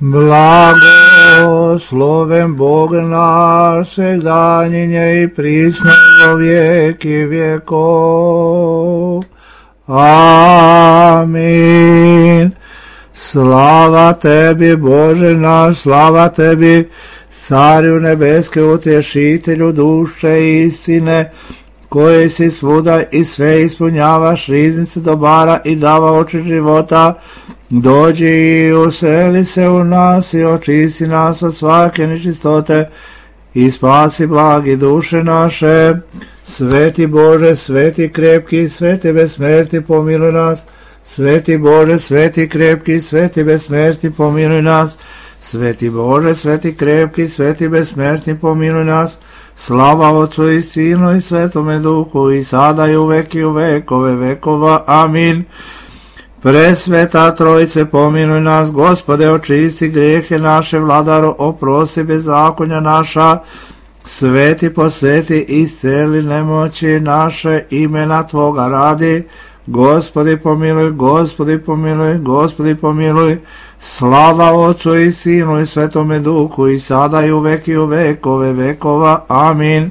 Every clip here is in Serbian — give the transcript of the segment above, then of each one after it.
Blagosloven Bog naš, svegdanjenje i prisno do vijeki vjekov. Amin. Slava tebi, Bože naš, slava tebi, Carju nebeske, utješitelju duše istine, koji si svuda i sve ispunjavaš, riznice dobara i dava oči života. Dođi i useli se u nas i očisti nas od svake nečistote i spasi blagi duše naše. Sveti Bože, sveti krepki, sveti besmrtni, pomiluj nas. Sveti Bože, sveti krepki, sveti besmrtni, pomiluj nas. Sveti Bože, sveti krepki, sveti besmrtni, pomiluj nas. Slava Otcu i Sinu i Svetome Duhu, i sada i uvek i u vekove vekova. Amin. Presveta Trojice, pomiluj nas. Gospode, očisti grijehe naše, Vladaro, oprosti bezakonja naša. Sveti, posveti, isceli nemoći naše, imena Tvoga radi. Gospodi pomiluj, Gospodi pomiluj, Gospodi pomiluj. Slava Otcu i Sinu i Svetome Duhu, i sada i uvek i u vekove vekova. Amin.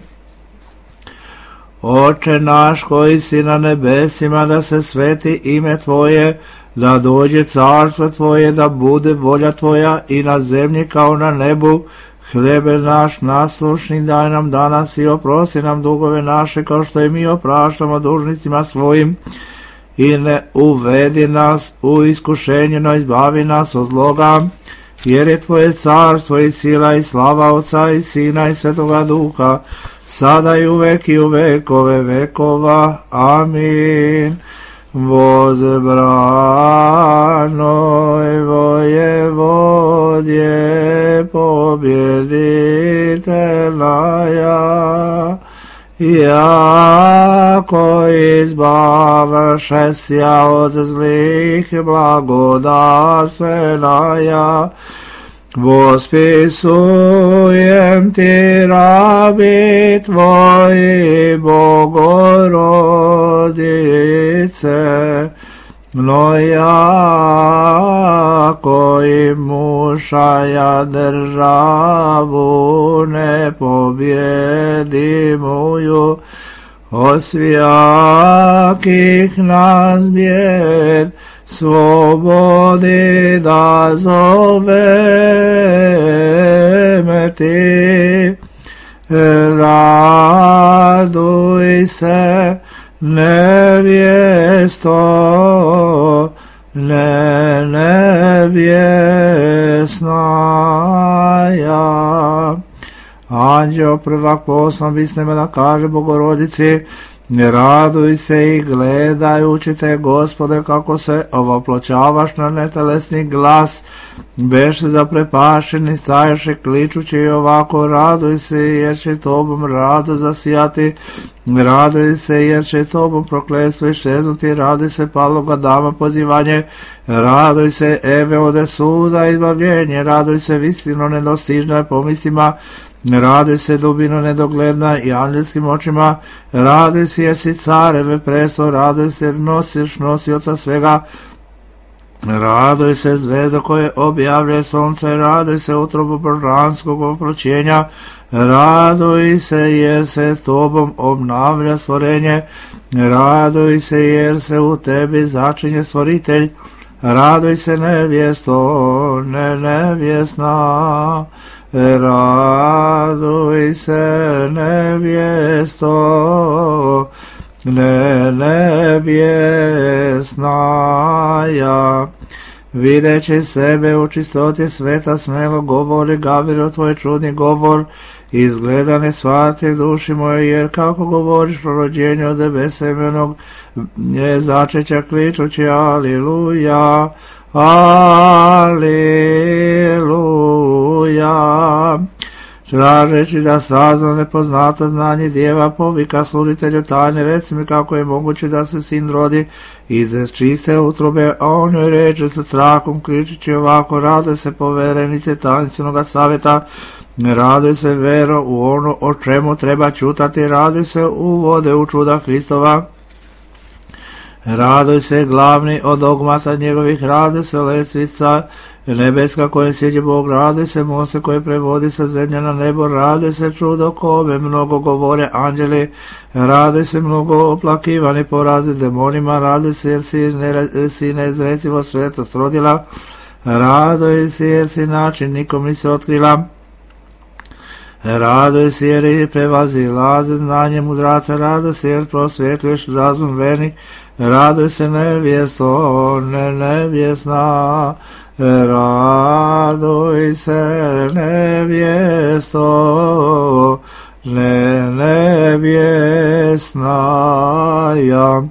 Oče naš koji si na nebesima, da se sveti ime Tvoje, da dođe carstvo Tvoje, da bude volja Tvoja i na zemlji kao na nebu. Hljebe naš naslušni daj nam danas i oprosti nam dugove naše, kao što i mi opraštamo dužnicima svojim. I ne uvedi nas u iskušenje, no izbavi nas od zloga, jer je Tvoje carstvo i sila i slava Otca i Sina i Svetoga Duha, sada i uvek i u vekove vekova. Amin. Возбранoj воеводje побjeditelja, jako izbavaše sja od zlih blagodarstvenaja. Vospisujem ti, rabi Tvoji, Bogorodice, mnoja koji mušaja državu nepobjedimuju, osvijakih nas bijed slobodi da zoveme ti. Raduj se, nevjesto, nevjesnaja. Anđeo prvak poslan bisneme da kaže Bogorodici, ne raduj se i gledajući te, Gospode, kako se ovoploćavaš na netelesni glas, beše zaprepašeni, staješe kličući i ovako, raduj se jer će Tobom rado zasijati, raduj se jer će Tobom prokletstvo iščeznuti, raduj se paloga dama pozivanje, raduj se Eve ode suda izbavljenje, raduj se visino nedostižna pomislima, raduj se dubino nedogledna i anđelskim očima, raduj se jer si careve presto, raduj se jer nosiš nosioca svega, raduj se zvezda koje objavlja sunce, raduj se utrobu božanskog oploćenja, raduj se jer se Tobom obnavlja stvorenje, raduj se jer se u tebi začinje stvoritelj, raduj se nevjesto, nevjesna, raduj se nevjesto, nevjesnaja. Videći sebe u čistoti sveta, smelo govori Gaviro tvoj čudni govor, izgleda ne shvati duši moje, jer kako govoriš o rođenju od besemenog začeća kličući aliluja, aliluja. Tražeći da sazna nepoznato znanje djeva, povika sluditelju tajne, reci mi kako je moguće da se sin rodi iz čiste utrobe, a on joj reče sa strahom kličući ovako, raduj se poverenice tajnstvenog savjeta, raduj se vero u ono o čemu treba čutati, raduj se uvode u čuda Hristova, raduj se glavni od dogmata njegovih, raduj se lesvica nebeska koje sjeđe Bog, radi se Mose koje prevodi sa zemlje na nebo, radi se čudo kome mnogo govore anđeli, radi se mnogo oplakivani porazi demonima, radi se jer si neizrecivo svetost rodila, radoj se jer si način nikom nisi otkrila, radoj se jer i prevazila znanje mudraca, radoj se jer prosvjetljuješ razum vernik, radoj se nevjesto, nevjesna, radoj se nevjesto, nevjesna ja.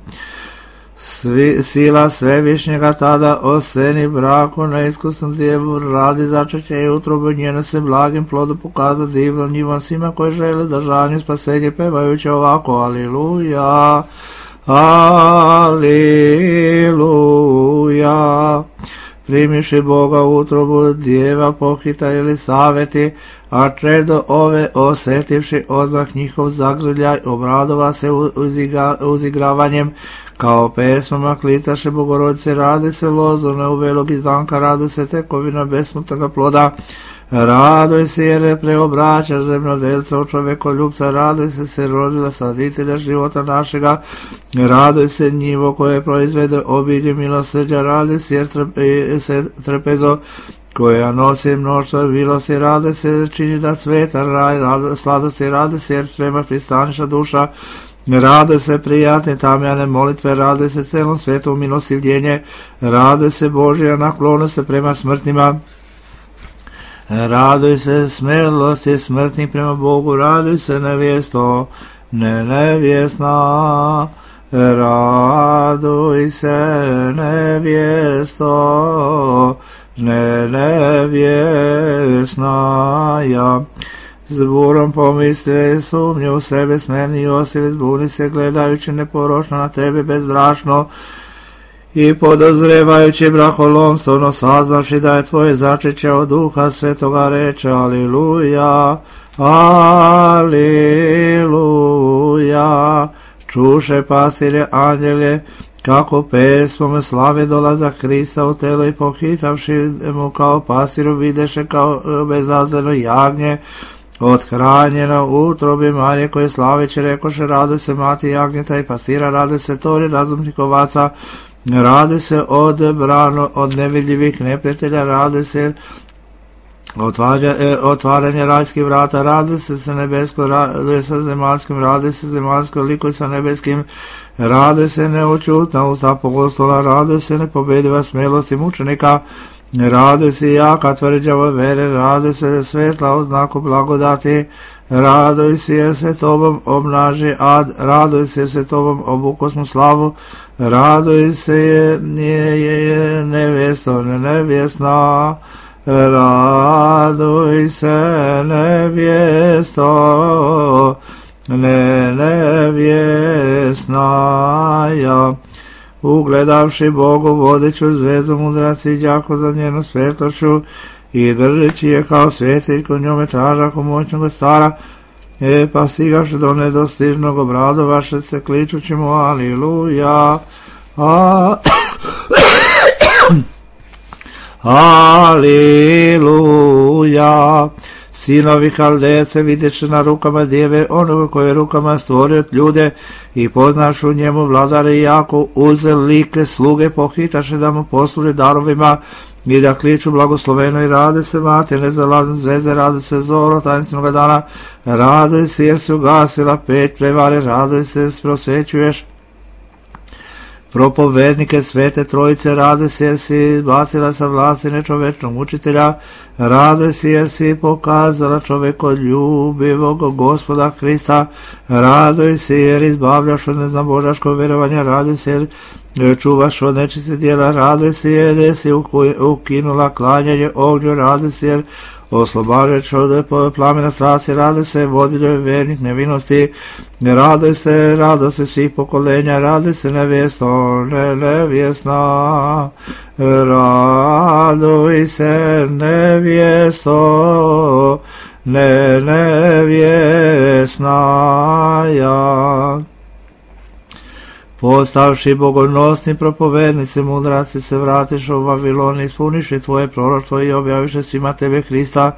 Sila svevišnjega tada oseni braku neiskusnom djevu radi začeće i utrobu njene se blagim plodu pokaza divnom njivom svima koji žele držanju spasenje pevajući ovako aliluja, aliluja. Primiši Boga utrobu djeva pohita ili saveti, a čedo ove osetivši odmah njihov zagrljaj obradova se uzigravanjem kao pesmama klitaše Bogorodice, radi se lozorne u velog izdanka, radi se tekovina besmrtnoga ploda, radoj se jer preobraća zemljodelca u čovekoljubca, radoj se rodila saditelja života našega, radoj se njivo koje proizvede obilje milosrđa, radoj se jer trpezo koja nosi mnoštvo milosti, rade se čini da sveta raj, sladosti, rade se jer prema pristaniša duša, rade se prijatne tamjane molitve, rade se celom svetu milostivljenje, rade se Božja naklonost se prema smrtnima, raduj se smelosti smrtnih prema Bogu, raduj se nevjesto, nevjesna, raduj se nevjesto, nevjesna ja. Zburom pomisli sumnje u sebe smeni Josif, zbuni se gledajući neporočno na tebe bezbrašno i podozrevajući brakolomstvo, no saznavši da je tvoje začeće od Duha Svetoga reče aliluja, aliluja. Čuše pastirje anđelje kako pesmom slave dolazak Hrista u telo i pohitavši mu kao pastiru videše kao bezazleno jagnje othranjeno u utrobi Marije koje slaveće rekoše raduj se mati jagnjeta i pastira, raduj se tori razumnih ovaca, raduj se odebrano od nevidljivih neprijatelja, raduj se otvaranje rajskih vrata, raduj se nebesko, raduj se zemaljskim, raduj se zemaljsko, likuj sa nebeskim, raduj se neočutna usta apostola, raduj se nepobediva smelosti mučenika, raduj se jaka tvrđava vere, raduj se svetla u znaku blagodati, raduj se jer se tobom obnaži ad, raduj se jer se tobom obukosmu slavu, raduj se je nevjesto, nevjesna, raduj se nevjesto, nevjesna ja. Ugledavši Bogu vodeću zvezdu mudraci đako za njenu svetlošću i držeći je kao svjetiljku njome tražaku moćnog stara, pa stigavši do nedostižnog obradovaše se kličući mu aliluja, aliluja. Sinovi Haldejce vidjeći na rukama djeve onoga koje rukama stvorio ljude i poznašu njemu vladare jako uze like sluge pohitaše da mu posluže darovima i da kliču blagosloveno i rade se mate nezalazne zvezde, rade se zoro tajinstvenoga dana, rade se jer si ugasila peć prevare, rade se prosvećuješ propovednike svete trojice, rade se jer si izbacila sa vlasti nečovečnog učitelja, rade se jer si pokazala čovekoljubivog Gospoda Hrista, rade se jer izbavljaš od neznabožaškog vjerovanja, rade se jer čuvaš od nečiste djela, rade se jer si ukinula klanjanje ognju, rade se jer oslobađač od plamena strasti, rade se vodilje vernih nevinosti, rade se svih pokolenja, rade se nevjesto, nevjesna, raduj se nevjesto, nevjesna ja. postavši bogonosni propovednici, mudraci se vratiše u Vavilon, ispuniše tvoje proroštvo i objaviše svima tebe Hrista.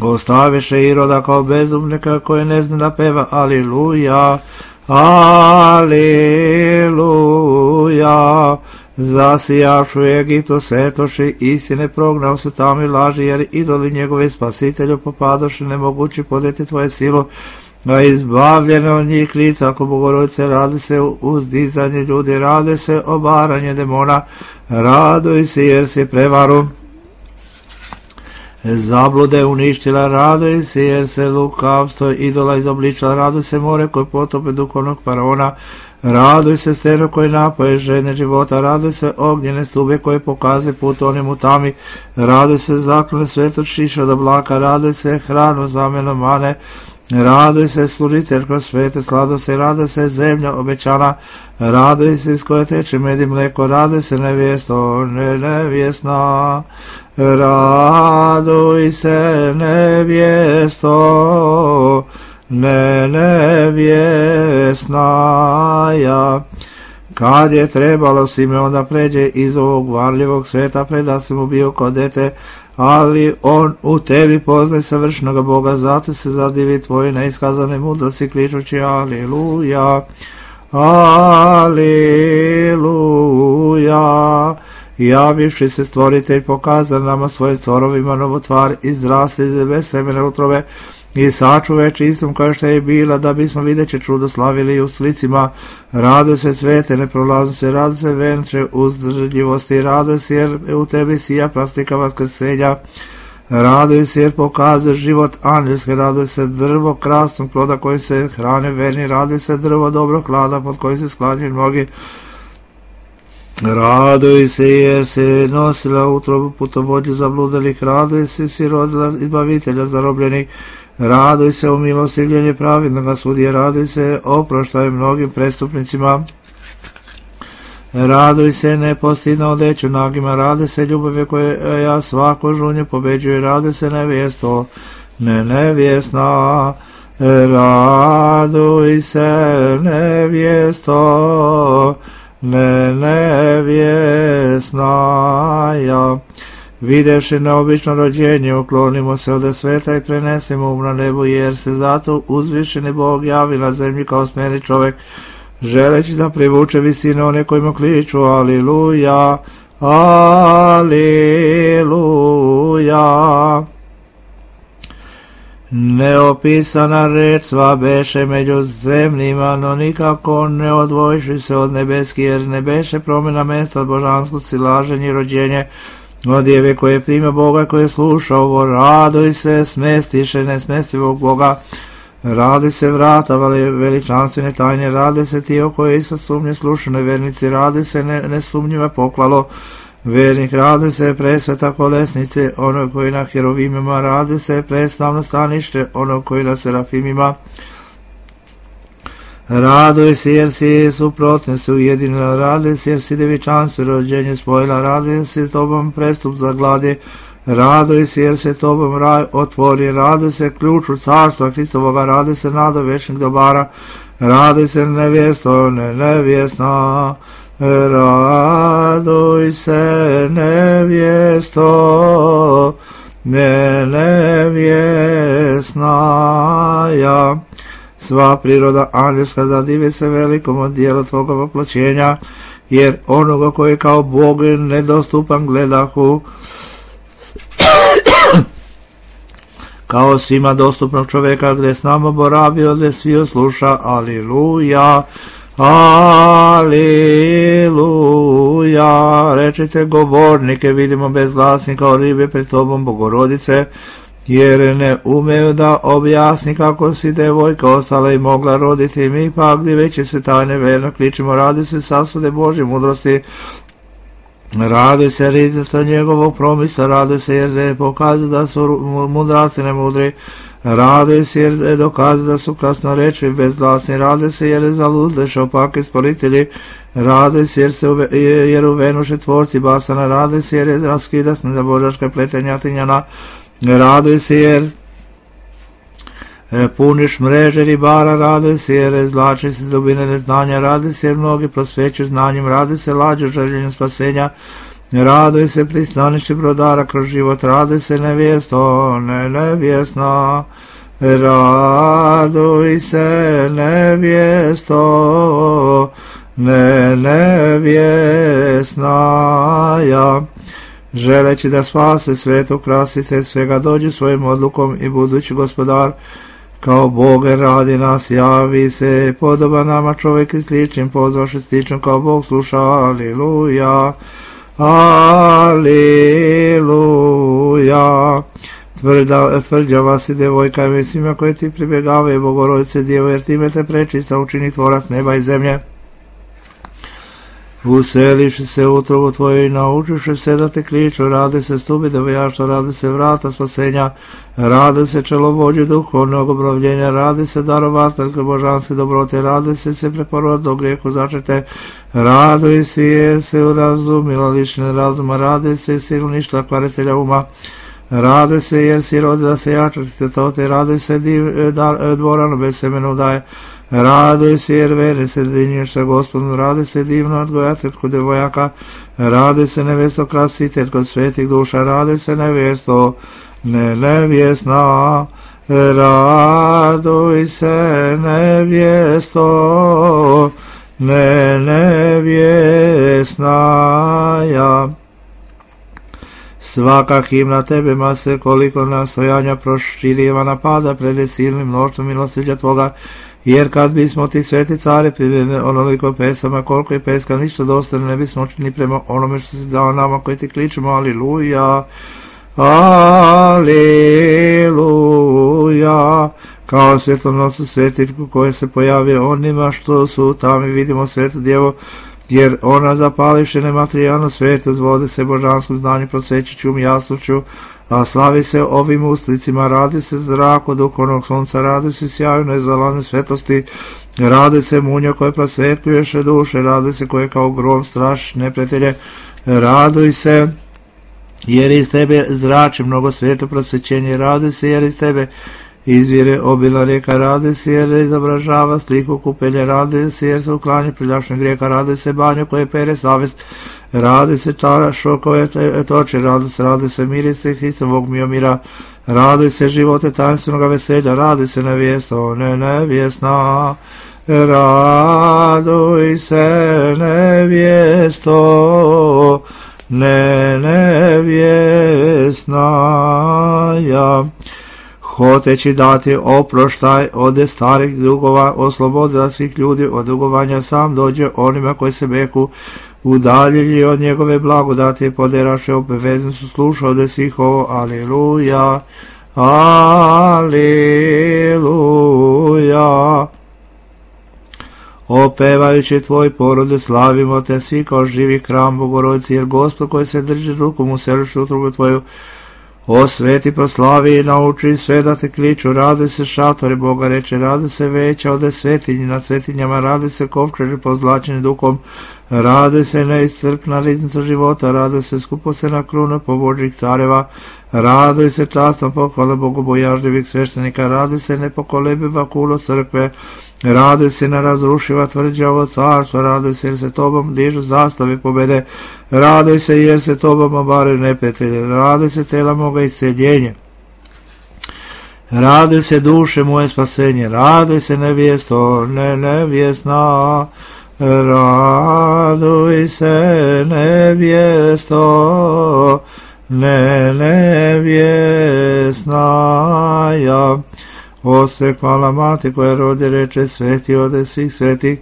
Ostaviše Iroda kao bezumnika koji ne zna da peva Aliluja, Aliluja. Zasijavšu Egiptu svetoši, istine prognao su tamo i laži, jer idoli njegove spasitelju popadoše, nemogući podeti tvoje silu, a izbavljene od njih lica, ako Bogorodice, radi se uzdizanje ljudi, radi se obaranje demona, raduj se jer si prevaru zablude uništila, raduj se jer se lukavstvo idola izobličila, raduj se more koje potope duhovnog faraona, raduj se steno koji napoje žene života, raduj se ognjene stube koje pokaze put onim u tami, raduj se zaklone svetog šiša od oblaka, raduj se hranu zameno mane, raduj se služitelj kroz svete sladosti, raduj se zemlja obećana, raduj se iz koje teče med i mleko, raduj se nevjesto, nevjesna, raduj se nevjesto, nevjesnaja. Kad je trebalo Simeon da pređe iz ovog varljivog sveta, preda si mu bio kao dete, ali on u tebi poznaje savršenog Boga, zato se zadivi tvoje neiskazane mudrosti, kličući Aliluja, Aliluja. Javivši se stvoritelj, pokazan nama svojim stvorovima novu tvar, izrasli iz bez semene utrove i sačuve čistom kao što je bila, da bismo videći čudo slavili u slicima. Raduj se svete neprolaznosti, raduj se venče uzdržljivosti, raduj se jer u tebi sija plastika vaskrsenja, raduj se jer pokazuje život anđelske, raduj se drvo krasnog ploda koji se hrane verni, raduj se drvo dobrog hlada pod kojim se sklanjaju mnogi, raduj se jer se nosila utrobu putovođu zabludalih, raduj se si rodila izbavitelja zarobljenih, raduj se u milostivljenje pravednoga sudije, raduj se oproštaj mnogim prestupnicima, raduj se nepostidno odeću nagima, raduj se ljubave koje ja svako žunje pobeđuje, raduj se nevjesto, nevjesna, raduj se nevjesto, nevjesnaja. Videvši neobično rođenje, uklonimo se od sveta i prenesemo na nebu, jer se zato uzvišeni Bog javi na zemlji kao smjeni čovjek, želeći da privuče visine one kojima kliču Aliluja, Aliluja. Neopisana reč sva beše među zemljima, no nikako ne odvojiši se od nebeski, jer ne beše promjena mesta od božanskosti, laženje i rođenje od djeve koje prima Boga, koje sluša ovo. Raduj se smestiše nesmestivog Boga, raduj se vrata veličanstvene tajne, raduj se ti o koje isa sumnje slušanoj vernici, raduj se nesumnjiva poklalo vernik, raduj se presveta kolesnice onog koji na herovimima, raduj se preslavno stanište onog koji na serafimima, raduj se jer si suprotne se ujedinila, raduj se jer si devičanstvo rođenje spojila, raduj se s tobom prestup za gladi, raduj se jer se tobom raj otvori, raduj se ključu carstva Hristovoga, raduj se nado večnih dobara, raduj se nevjesto, nevjesna, raduj se nevjesto, nevjesnaja. Sva priroda anđelska zadivi se velikom od dijela tvoga voploćenja, jer onoga koji kao Bog nedostupan gledahu, kao svima dostupnog čovjeka, gdje s nama boravio, gdje svi osluša. Aliluja, Aliluja. Rečite govornike, vidimo bez glasnika kao ribe pred tobom Bogorodice, jer ne umeju da objasni kako si devojka ostala i mogla roditi. Mi pak diveći se tajne verno kličimo, raduj se sasude Božje mudrosti, raduj se riznica njegovog promisa, raduj se jer se pokazuje da su mudraci nemudri, raduj se jer dokazuje da su krasnorečivi bezglasni, raduj se jer zaludleš opake sporitelji, raduj se jer uvenuše tvorci basana, raduj se jer je raskidasne za božaška pletenja tinjana, raduj se jer Puniš mreže ribara, raduj se jer izvlači se iz dubine neznanja, raduj se jer mnogi prosvećuju znanjem, raduj se lađu željenjem spasenja, raduj se pristaništi brodara kroz život, raduj se nevjesto, nevjesna, raduj se nevjesto, nevjesna. Želeći da spase svetu krasite svega, dođi svojim odlukom i budući gospodar kao Bog radi nas, javi se, podoba nama čovjek i sličnim, pozvaše sličnom kao Bog sluša, aliluja, aliluja. Tvrđava si devojka i svima koje ti pribjegavaju, Bogorodice Djevo, jer time te prečista učini tvorac neba i zemlje. Useliši se u utrobu tvoju i naučiši se da te kliču, radi se stubi devojaštva, radi se vrata spasenja, radi se čelovođe duhovnog obnovljenja, radi se darovateljke božanske dobrote, radi se preporodnog grijehu začete, raduj si jer se urazumila lične razuma, radi se silništva kvaritelja uma, radi se jer si rodila se jačati tote, radi se dvorano bez semenu daje, raduj se jer vere se dinješ sa Gospodom, raduj se divno odgojateljko devojaka, raduj se nevesto krasiteljko svetih duša, raduj se nevesto nevjesna, raduj se nevjesto nevjesna. Svaka himna tebe mase koliko nastojanja proširjeva napada pred silnim mnoštvom milosrđa tvoga, jer kad bismo ti sveti care pridene onoliko pesama koliko je peska ništa dostane ne bismo učini prema onome što si dao nama koji ti kličemo aliluja, aliluja. Kao svjetlonosu svetiljku koje se pojavio onima što su tamo i vidimo svetu djevo, jer ona zapališe nematerijalno svijetu, zvode se božanskom znanju, prosvećiću jasnošću, a slavi se ovim uslicima, radi se zrak od duhovnog sunca, radi se sjaju nezalazne svetosti, radi se munja koje prosvetljuješe duše, radi se koje kao grom strašiš neprijatelje, raduj se jer iz tebe zrači mnogo svijetu prosvećenje, raduj se jer iz tebe izvire obila rijeka, radi se jer izobražava sliku kupelje, radi se jer se uklanja prljašnjeg grijeka, radi se banju koje pere savjest, radi se čašo koje toče, radi se mirice Hristovog miomira, radi se živote tajnstvenog veselja, radi se nevjesto nevjesna, raduj se nevjesto nevjesna. Hoteći dati oproštaj od starih dugova, oslobodila svih ljudi od dugovanja, sam dođe onima koji se beku udaljili od njegove blagodati i poderaše obavezno su slušao da svih ovo, aliluja, aliluja. Opevajući tvoj porode slavimo te svi kao živi hram Bogorodici, jer Gospod koji se drži rukom u selištu utrobu tvoju, osveti, proslavi i nauči sve da te kliču, radi se šatore Boga reče, radi se veća ode svetinji nad svetinjama, radi se kovčeži pozlačeni duhom, radi se neiscrpna riznica života, radi se skupocena kruna pobožnih careva, radi se častom pohvala bogobojažljivih sveštenika, radi se nepokolebiva kulo crkve, radi se nerazrušiva tvrđa ovo carstva, radi se jer se tobom dižu zastave pobede, radi se jer se tobom obare neprijatelje, radi se tela moga isceljenje, radi se duše moje spasenje, radi se nevjesto nevjesna, raduj se nevjesto nevjesna. Ose hvala mati koja rodi reče sveti ode svih svetih,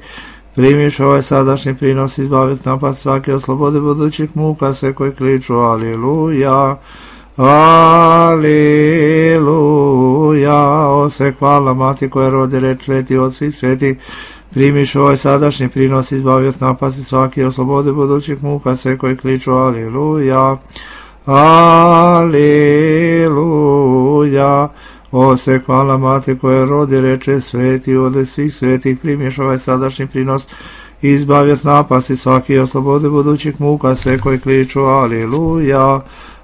primiš ovaj sadašnji prinos, izbavit napad svake, oslobode budućih muka sve koji kliču aliluja, aliluja. Ose hvala mati koja rodi reč sveti od svih svetih, primiš ovaj sadašnji prinos, izbavit napad svake, oslobode budućih muka sve koji kliču aliluja, aliluja. Ose hvala mati koja rodi reče sveti ode svih svetih, primješ ovaj sadašnji prinos, izbavljat napasti svaki, oslobode budućih muka sve koji kliču aliluja,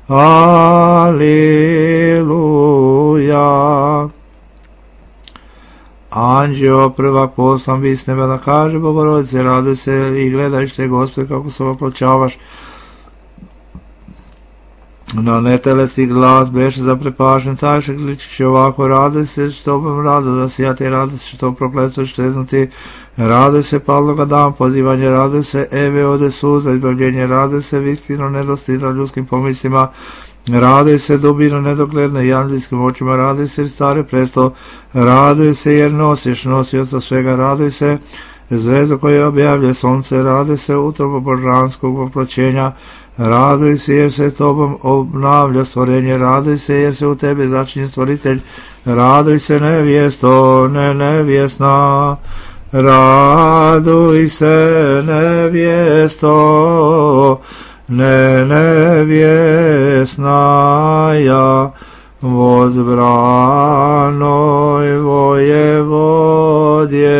aliluja. Anđeo prvak poslan bi s neba da kaže Bogorodice, raduj se i gledaj šte Gospode kako se opločavaš. Na netelesni glas beše zaprepašen, cajše gličići ovako, raduj se što bom rado da si ja te raduj se što prokletstvo šteznuti, raduj se padloga dan pozivanje, raduj se Eve ode suza izbavljenje, raduj se vistino nedostizna ljudskim pomislima, raduj se dubino nedogledne i anđelskim očima, raduj se stare presto, raduj se jer nosiš nosioca svega, raduj se zvezdo koje objavlja sonce, raduj se utrobo božanskog oploćenja, raduj se jer se tobom obnavlja stvorenje, raduj se jer se u tebe začinje stvoritelj, raduj se nevjesto, ne nevjesna, raduj se nevjesto, ne nevjesna ja, vozbranoj vojevodje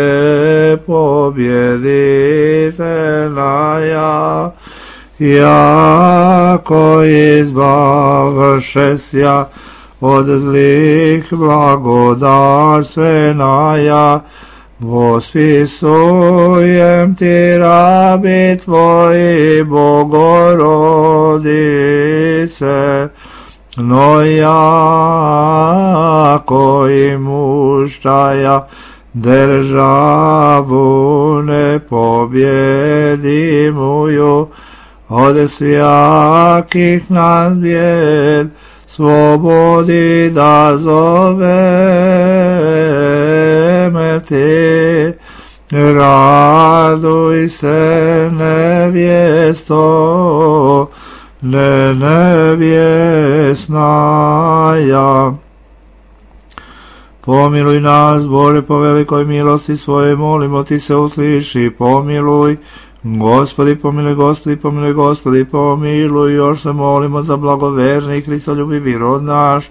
pobjeditelja ja, jako izbavšesja od zlih blagodarstvena ja, vospisujem ti rabi tvoji Bogorodice, no jako i muštaja državu ne pobjedimuju, od svijakih nas bijed slobodi da zoveme ti, raduj se nevjesto, ne nevjesna ja. Pomiluj nas, Bože, po velikoj milosti svoje, molimo ti se usliši, pomiluj. Gospodi pomiluj, Gospodi pomiluj, Gospodi pomiluj, još se molimo za blagoverni i Hristoljubivi rod naš.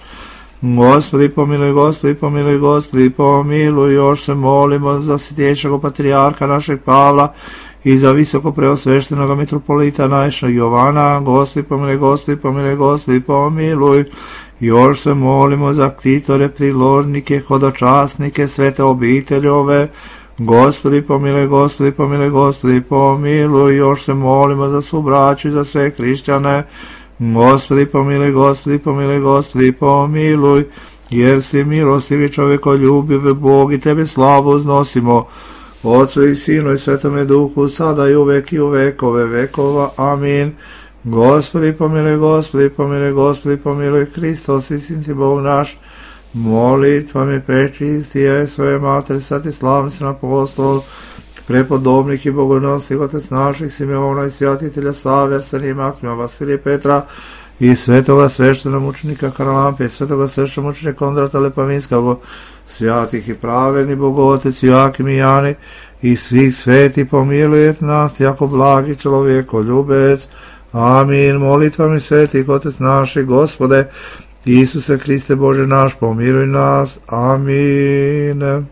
Gospodi pomiluj, Gospodi pomiluj, Gospodi pomiluj, još se molimo za svjetejšeg patrijarha našeg Pavla i za visoko preosveštenog mitropolita našeg Jovana. Gospodi pomiluj, Gospodi pomiluj, Gospodi pomiluj, još se molimo za ktitore, priložnike, hodočasnike, svete obiteljove. Gospodi pomiluj, Gospodi pomiluj, Gospodi pomiluj, još se molimo za svu braću i za sve hrišćane. Gospodi pomiluj, Gospodi pomiluj, Gospodi pomiluj, jer si milostivi čovjekoljubiv Bog i tebe slavu uznosimo, Otcu i Sinu i Svetome Duhu, sada i uvek i u vekove vekova. Amin. Gospodi pomiluj, Gospodi pomiluj, Gospodi pomiluj, Hristos istiniti Bog naš, molitvami prečistije svoje materi, sveti slavnici apostol, prepodobnih i bogonosnih otec naših Simeona i svjatitelja Save, Arsenija, Maksimija, Vasilija, Petra i svetoga sveštenog mučenika Karalampe, svetoga sveštenog mučenika Kondrata Lepavinskog, svjatih i pravedni Bogotec Joakim i Jani i svih sveti pomilujete nas, jako blagi čovjekoljubec. Amin. Molitvami svetih otec naših, Gospode Isuse Hriste Bože naš, pomiluj nas. Amin.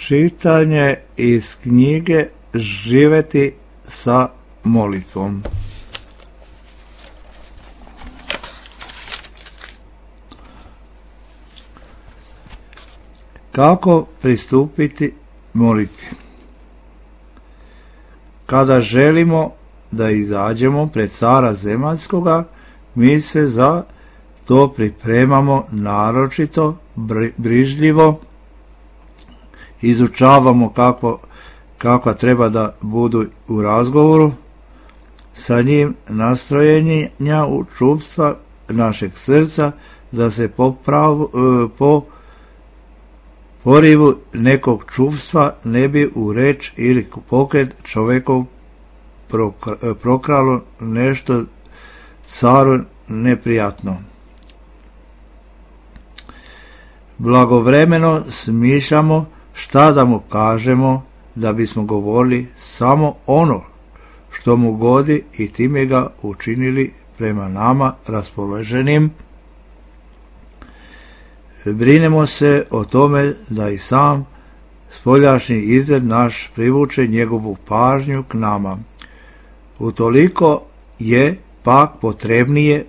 Čitanje iz knjige Živjeti sa molitvom. Kako pristupiti molitvi? Kada želimo da izađemo pred cara zemaljskoga, mi se za to pripremamo naročito, brižljivo, izučavamo kakva treba da budu u razgovoru sa njim, nastrojenja u čuvstva našeg srca, da se po porivu nekog čuvstva ne bi u reč ili pokret čovjekov prokralo nešto caru neprijatno. Blagovremeno smišljamo šta da mu kažemo, da bismo govorili samo ono što mu godi i time ga učinili prema nama raspoloženim. Brinemo se o tome da i sam spoljašnji izgled naš privuče njegovu pažnju k nama. Utoliko je pak potrebnije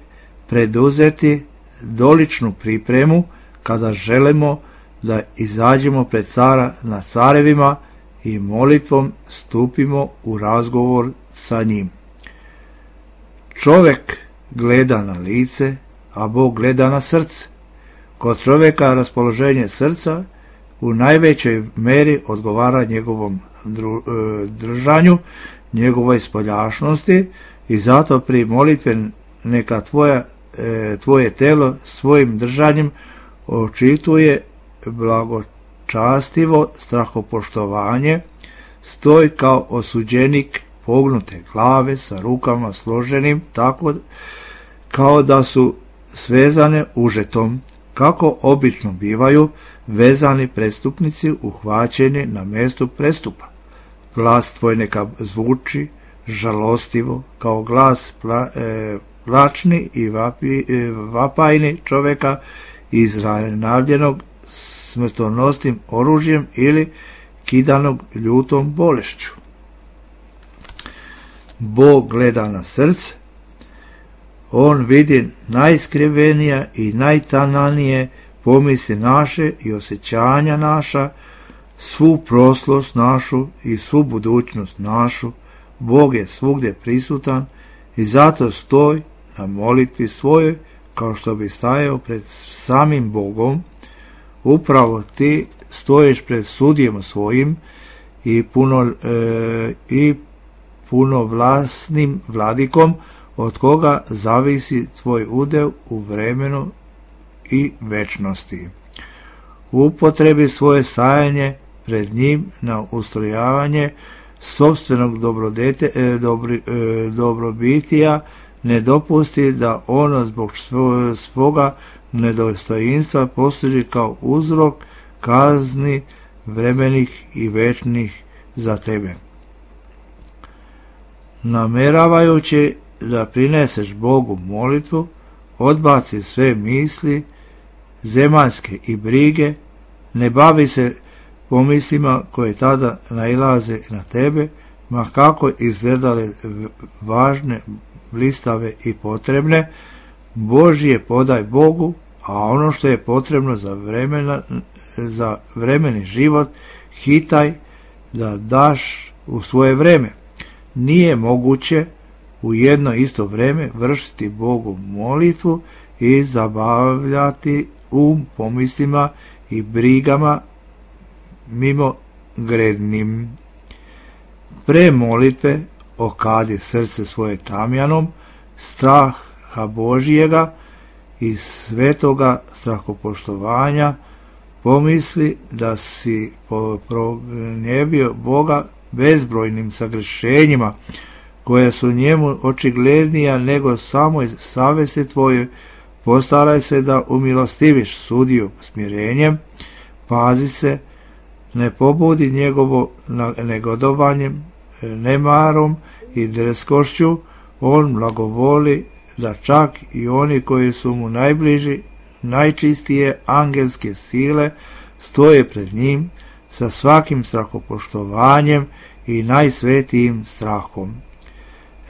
preduzeti doličnu pripremu kada želimo da izađemo pred cara na carevima i molitvom stupimo u razgovor sa njim. Čovjek gleda na lice, a Bog gleda na srce. Kod čovjeka raspoloženje srca u najvećoj meri odgovara njegovom držanju, njegovoj spoljašnosti, i zato pri molitve neka tvoje telo svojim držanjem očituje blagočastivo strahopoštovanje, stoj kao osuđenik pognute glave sa rukama složenim tako kao da su svezane užetom, kako obično bivaju vezani prestupnici uhvaćeni na mjestu prestupa. Glas tvoj neka zvuči žalostivo kao glas plačni i vapajni čovjeka izranavljenog smrtonosnim oružjem ili kidanog ljutom bolešću. Bog gleda na srce, on vidi najskrivenija i najtananije pomisli naše i osjećanja naša, svu prošlost našu i svu budućnost našu. Bog je svugdje prisutan i zato stoj na molitvi svojoj kao što bi stajao pred samim Bogom. Upravo ti stojiš pred sudjem svojim i punovlasnim vladikom, od koga zavisi tvoj udel u vremenu i večnosti. Upotrebi svoje stajanje pred njim na ustrojavanje sopstvenog dobrobitija, ne dopusti da ono zbog svoga nedostojinstva posluži kao uzrok kazni vremenih i večnih za tebe. Nameravajući da prineseš Bogu molitvu, odbaci sve misli zemaljske i brige, ne bavi se pomislima koje tada nailaze na tebe, ma kako izgledale važne, blistave i potrebne. Božje podaj Bogu, a ono što je potrebno za vremeni život hitaj da daš u svoje vreme. Nije moguće u jedno isto vrijeme vršiti Bogu molitvu i zabavljati pomislima i brigama mimo grednim. Pre molitve okadi srce svoje tamjanom, straha Božijega i svetoga strahopoštovanja, pomisli da si prognjevio Boga bezbrojnim sagrešenjima, koje su njemu očiglednija nego samoj savesti tvojoj. Postaraj se da umilostiviš sudiju smirenjem, pazi se, ne pobudi njegovo negodovanjem, nemarom i drskošću. On blagovoli da čak i oni koji su mu najbliži, najčistije angelske sile stoje pred njim, sa svakim strahopoštovanjem i najsvetijim strahom.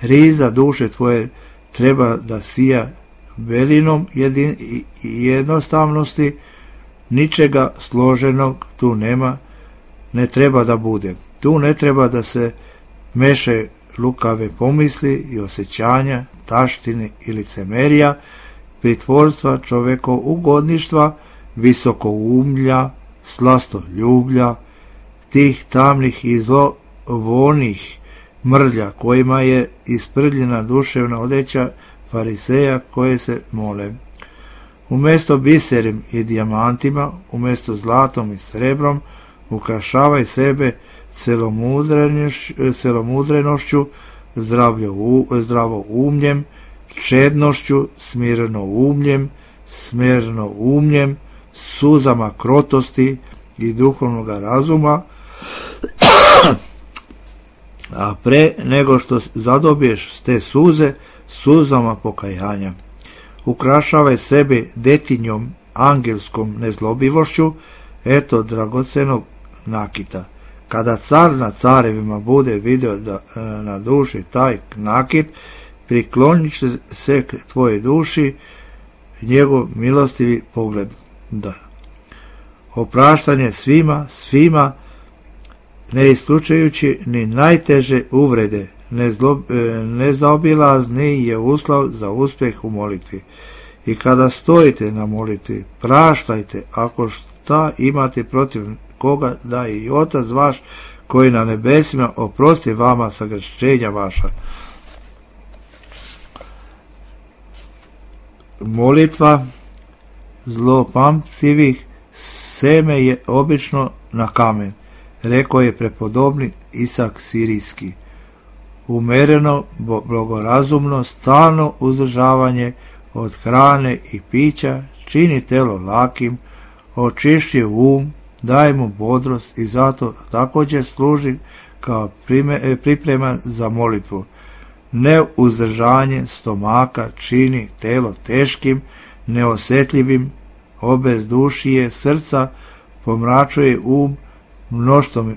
Riza duše tvoje treba da sija belinom jednostavnosti, ničega složenog tu nema, ne treba da bude. Tu ne treba da se meše lukave pomisli i osjećanja, taštine i licemerija, pritvorstva, čovekougodništva, visokoumlja, slastoljublja, tih tamnih i zlovonih mrlja kojima je isprljena duševna odeća fariseja koje se mole. Umjesto biserem i dijamantima, umjesto zlatom i srebrom, ukrašavaj sebe celomudrenošću, zdravoumljem, čednošću, smirnoumljem, suzama krotosti i duhovnog razuma, a pre nego što zadobiješ te suze, suzama pokajanja. Ukrašavaj sebe detinjom, angelskom nezlobivošću, eto dragocenog nakita. Kada car na carevima bude video da na duši taj nakit, priklonit će se k tvojoj duši njegov milostivi pogled. Da. Opraštanje svima, ne isključujući ni najteže uvrede, nezaobilazni je uslov za uspjeh u molitvi. I kada stojite na molitvi, praštajte ako šta imate protiv koga, da i Otac vaš koji na nebesima oprosti vama sagrešenja vaša. Molitva zlopamtivih seme je obično na kamen, rekao je prepodobni Isak Sirijski. Umereno, blagorazumno, stalno uzdržavanje od hrane i pića čini telo lakim, očišćuje daje mu bodrost i zato također služi kao priprema za molitvu. Neuzdržanje stomaka čini telo teškim, neosjetljivim, obezdušije srca, pomračuje mnoštvom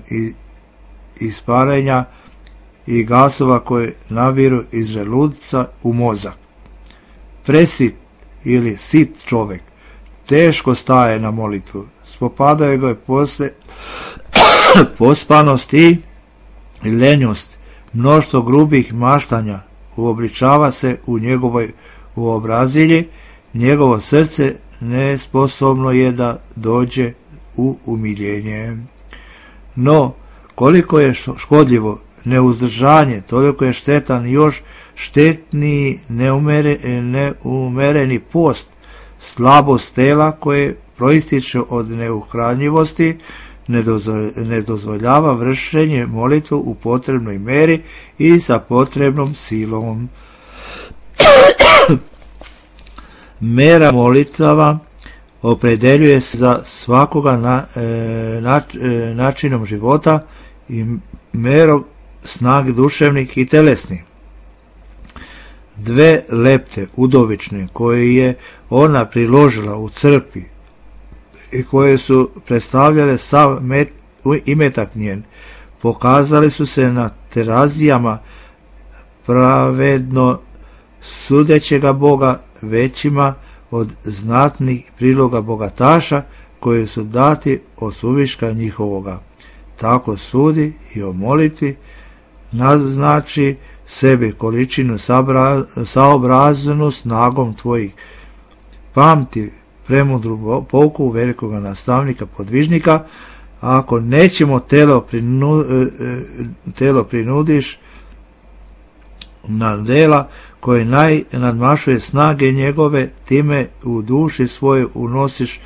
isparenja i gasova koje naviru iz želuca u mozak. Presit ili sit čovjek teško staje na molitvu. Spopadaju ga posle pospanost i lenjost, mnoštvo grubih maštanja uobličava se u njegovoj uobrazilji, njegovo srce nesposobno je da dođe u umiljenje. No, koliko je škodljivo neuzdržanje, toliko je štetan još štetniji neumereni post, slabost tela koje proističe od neuhranjivosti, ne dozvoljava vršenje molitve u potrebnoj meri i sa potrebnom silom. Mera molitava opredeljuje se za svakoga načinom života i merom snag duševnih i telesnih. Dve lepte udovične koje je ona priložila u crkvi i koje su predstavljale sav imetak njen, pokazali su se na terazijama pravedno sudećega Boga većima od znatnih priloga bogataša koji su dati od suviška njihovoga. Tako sudi i o molitvi, naznači sebi količinu saobraznu snagom tvojih. Pamti premudru pouku velikoga nastavnika podvižnika, ako nećemo telo prinudiš na dela koje nadmašuje snage njegove, time u duši svoje unosiš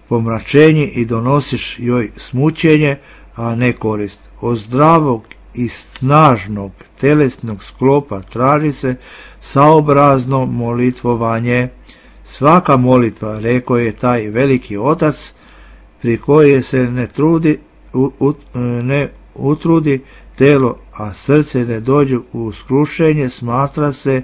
pomračenje i donosiš joj smućenje, a ne korist. Od zdravog i snažnog telesnog sklopa traži se saobrazno molitvovanje. Svaka molitva, rekao je taj veliki otac, pri koje se ne utrudi telo, a srce ne dođe u skrušenje, smatra se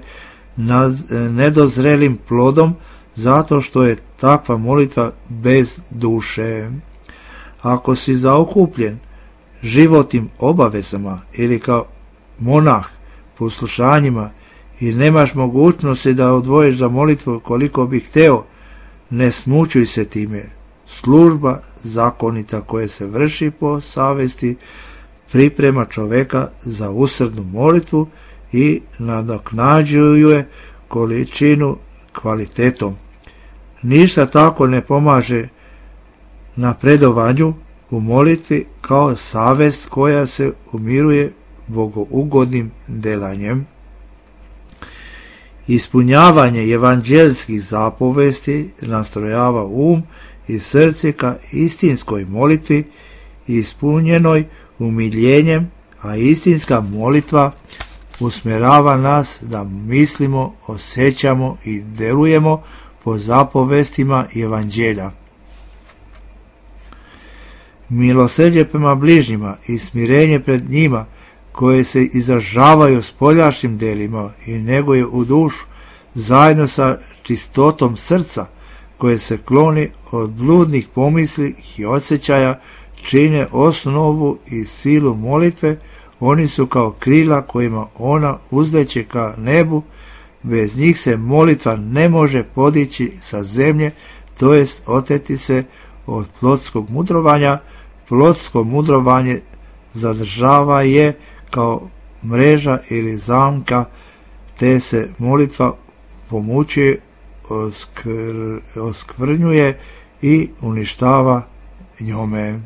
nedozrelim plodom, zato što je takva molitva bez duše. Ako si zaokupljen životnim obavezama ili kao monah poslušanjima i nemaš mogućnosti da odvojiš za molitvu koliko bi hteo, ne smučuj se time. Služba zakonita koja se vrši po savesti priprema čoveka za usrdnu molitvu i nadoknađuje količinu kvalitetom. Ništa tako ne pomaže napredovanju u molitvi kao savest koja se umiruje bogougodnim delanjem. Ispunjavanje evanđelskih zapovesti nastrojava i srce ka istinskoj molitvi ispunjenoj umiljenjem, a istinska molitva usmjerava nas da mislimo, osjećamo i delujemo po zapovestima evanđelja. Milosrđe prema bližnjima i smirenje pred njima koje se izražavaju spoljašnjim delima i neguje u dušu zajedno sa čistotom srca koje se kloni od bludnih pomisli i osjećaja čine osnovu i silu molitve. Oni su kao krila kojima ona uzleće ka nebu, bez njih se molitva ne može podići sa zemlje, to jest oteti se od plotskog mudrovanja. Plotsko mudrovanje zadržava je kao mreža ili zamka, te se molitva pomučuje, oskvrnjuje i uništava njome.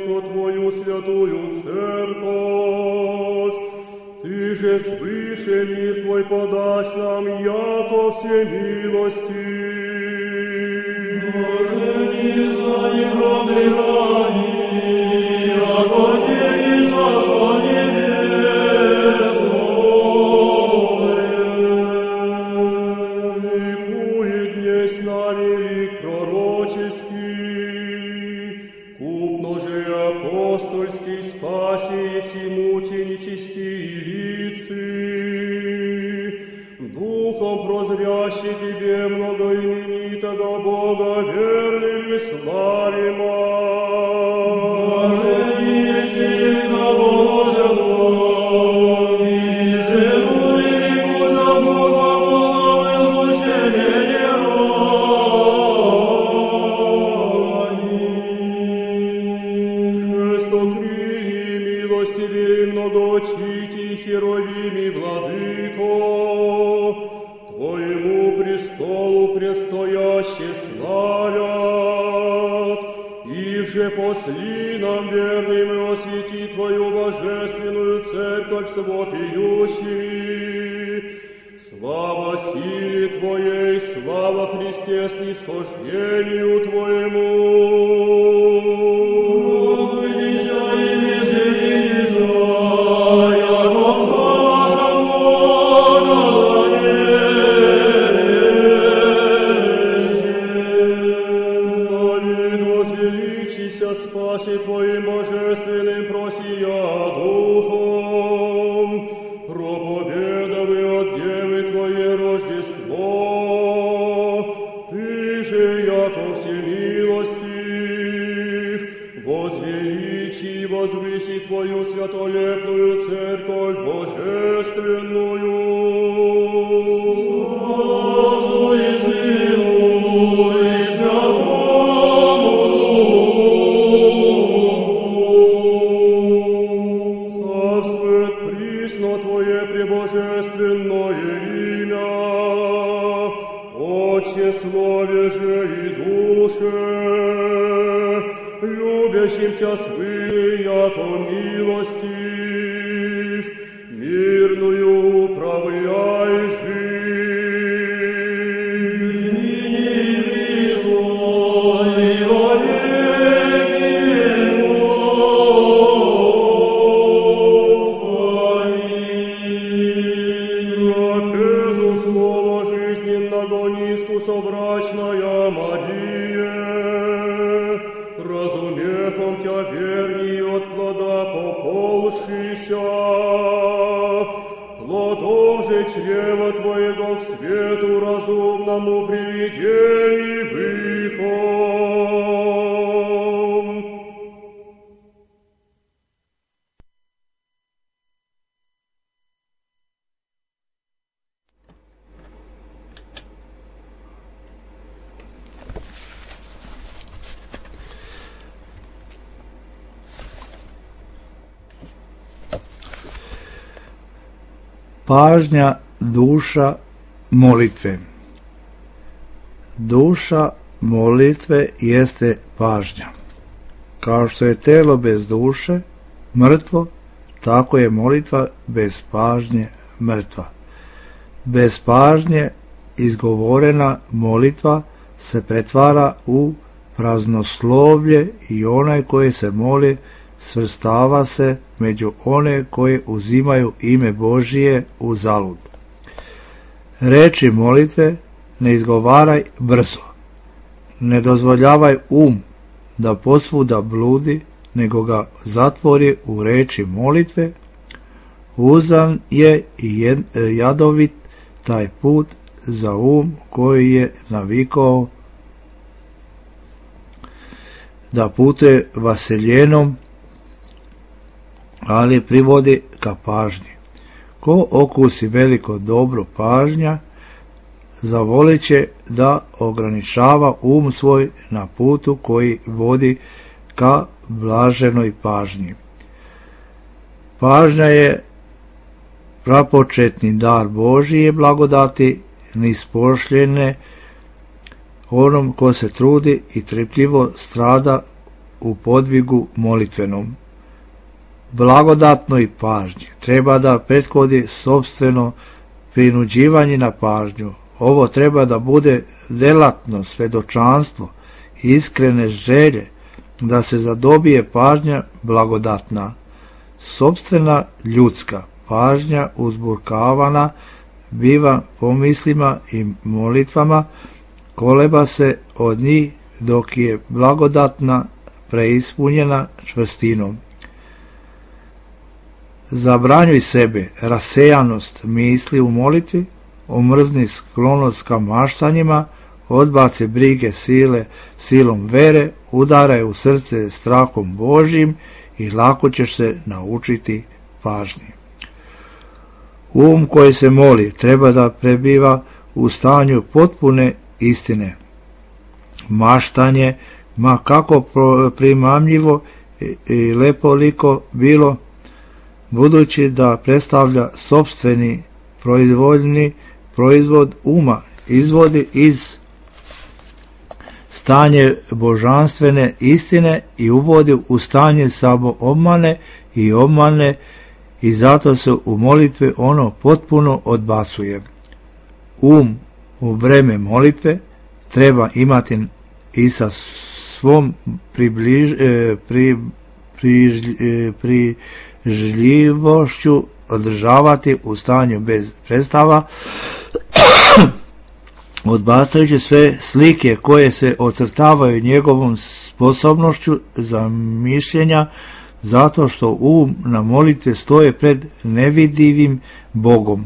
Владыко Твою святую церковь, же свыше мир Твой подашь нам, яко всемилости. Боже, не знай правды рани, яко тени царства небесное. Ликует дне с нами лик пророческий, купно же апостольский спаси и всемученические лицы. Духом прозрящий Тебе многоименитого Бога верными славима. Боже, если на положено, и жену велику за Бога половым учение рани. Шестокрыльный милостивей многоочитий херовими владыко, Твоему престолу предстояще славят, и же посли нам верным и освети Твою божественную церковь с вопиющими. Слава силе Твоей, слава Христе снисхождению Твоему. Спаси Твоим божественным просия Духом, проповедовы от Девы Твое Рождество. Ты же, яко всемилостив, возвеличи и возвыси Твою святолепную церковь божественную. Отцу и Сыну и Святому Твое пребожественное имя, Отче, слове же и душе, любящим Тя свыше, яко милостив, мирную управляй жизнь. ныне и присно, и во веки веков. Трапезу слова жизненного низку собрачная Мария, разумехом Тя верней от плода пополшися, плодом же чрева Твоего к свету разумному приведени выхом. Pažnja, duša, molitve. Duša molitve jeste pažnja. Kao što je telo bez duše mrtvo, tako je molitva bez pažnje mrtva. Bez pažnje izgovorena molitva se pretvara u praznoslovlje i onaj koji se moli svrstava se među one koji uzimaju ime Božije u zalud. Reči molitve ne izgovaraj brzo, ne dozvoljavaj da posvuda bludi, nego ga zatvori u reči molitve. Uzan je i jadovit taj put za koji je navikao da putuje vaseljenom, ali privodi ka pažnji. Ko okusi veliko dobro pažnja, zavolit će da ograničava svoj na putu koji vodi ka blaženoj pažnji. Pažnja je prapočetni dar Božije blagodati, nispošljene onom ko se trudi i trpljivo strada u podvigu molitvenom. blagodatnoj pažnji treba da prethodi sopstveno prinuđivanje na pažnju. Ovo treba da bude delatno svedočanstvo, iskrene želje, da se zadobije pažnja blagodatna. Sopstvena ljudska pažnja uzburkavana biva pomislima i molitvama, koleba se od njih dok je blagodatna preispunjena čvrstinom. Zabranjuj sebe rasejanost misli u molitvi, omrzni sklonost ka maštanjima, odbaci brige silom vere, udaraj u srce strahom Božjim i lako ćeš se naučiti pažnji. Koji se moli treba da prebiva u stanju potpune istine. Maštanje, ma kako primamljivo i lepoliko bilo, budući da predstavlja sopstveni proizvoljni proizvod uma, izvodi iz stanje božanstvene istine i uvodi u stanje samoobmane i obmane, i zato se u molitvi ono potpuno odbacuje. U vreme molitve treba imati i sa svom prižljivošću održavati u stanju bez predstava, odbacajući sve slike koje se ocrtavaju njegovom sposobnošću za mišljenja, zato što na molitve stoje pred nevidivim Bogom,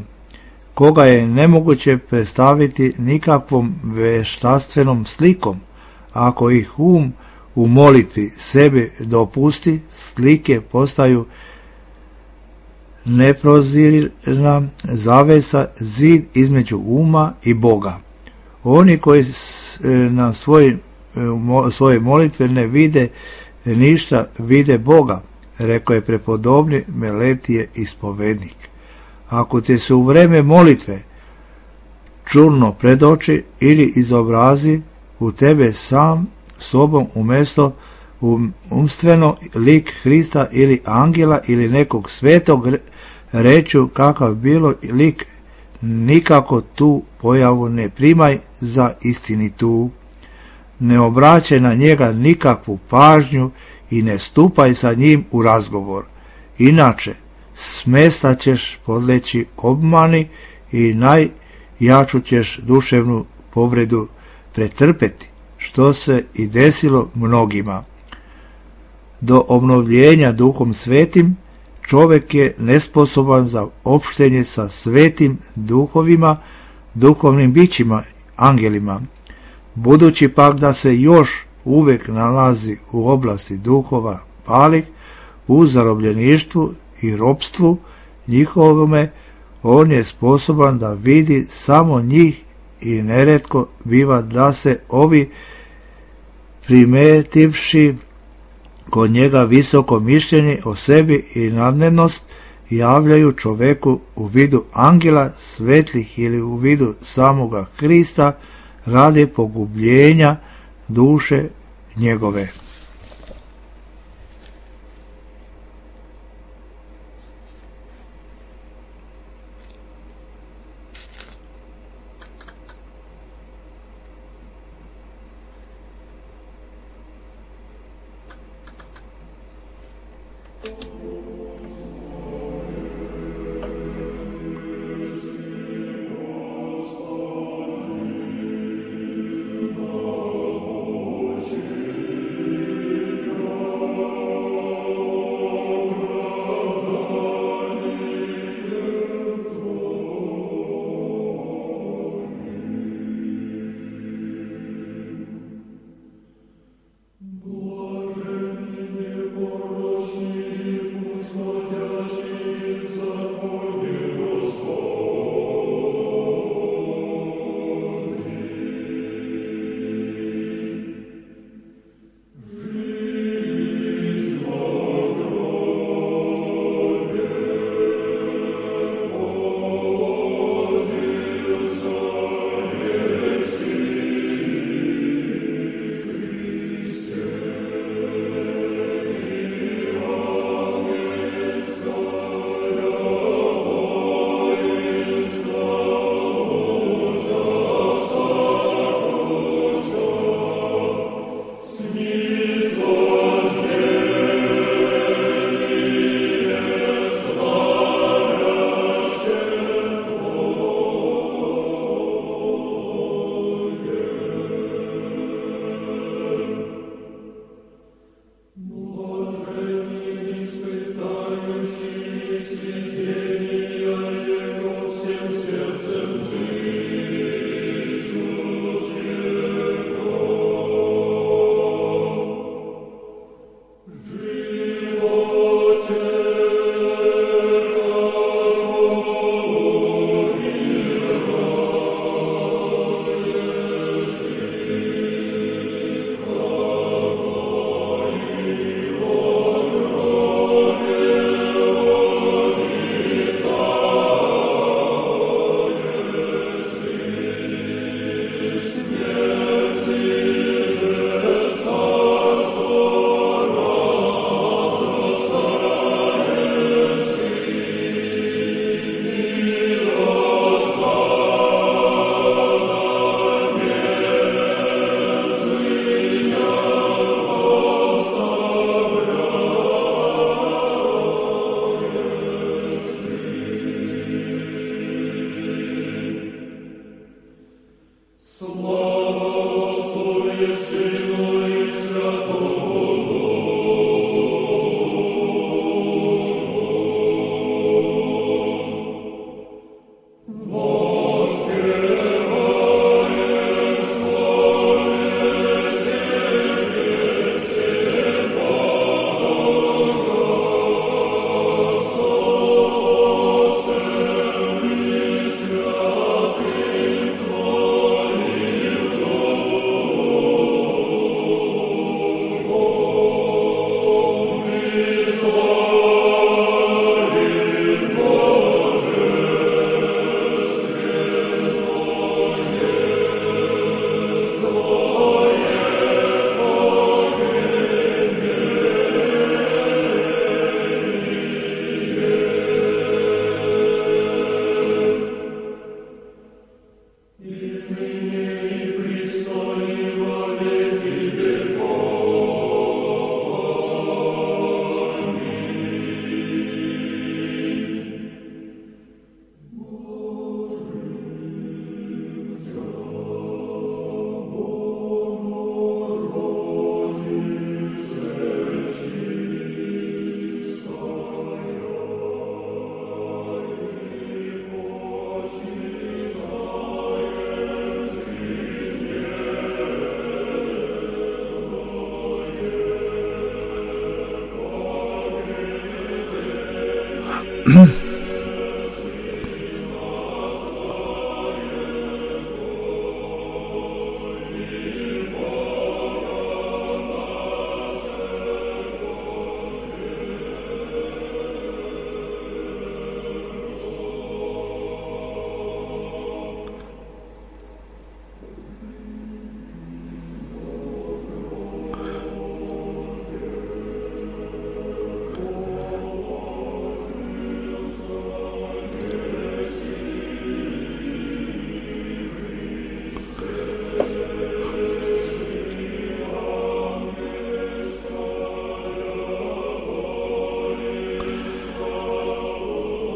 koga je nemoguće predstaviti nikakvom veštaštvenom slikom. Ako ih u molitvi sebi dopusti, slike postaju neprozirna zavesa, zid između uma i Boga. Oni koji na svoje molitve ne vide ništa, vide Boga, rekao je prepodobni Meletije ispovednik. Ako ti se u vreme molitve čurno predoči ili izobrazi u tebe sam sobom umjesto umstveno lik Hrista ili angela ili nekog svetog, reću kakav bilo lik, nikako tu pojavu ne primaj za istinitu. Ne obraćaj na njega nikakvu pažnju i ne stupaj sa njim u razgovor. Inače, smesta ćeš podleći obmani i najjaču ćeš duševnu povredu pretrpeti, što se i desilo mnogima. Do obnovljenja Duhom Svetim čovjek je nesposoban za opštenje sa svetim duhovima, duhovnim bićima, angelima. Budući pak da se još uvijek nalazi u oblasti duhova palih, u zarobljeništvu i ropstvu njihovome, on je sposoban da vidi samo njih i neretko biva da se ovi primetivši kod njega visoko mišljenje o sebi i nadmenost javljaju čoveku u vidu angela svetlih ili u vidu samoga Hrista radi pogubljenja duše njegove.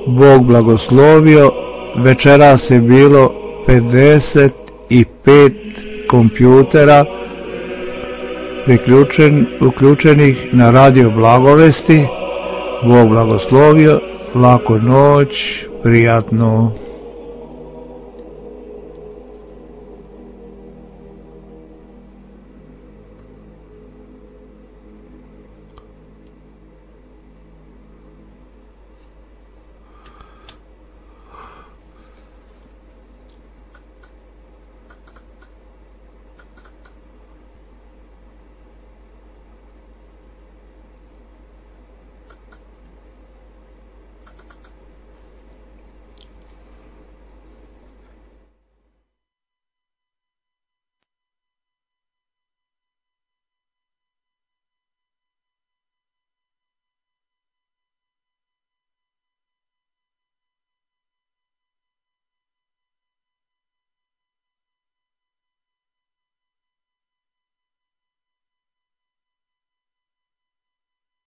Bog blagoslovio, večeras je bilo 55 kompjutera uključenih na radio Blagovesti. Bog blagoslovio, laku noć, prijatno.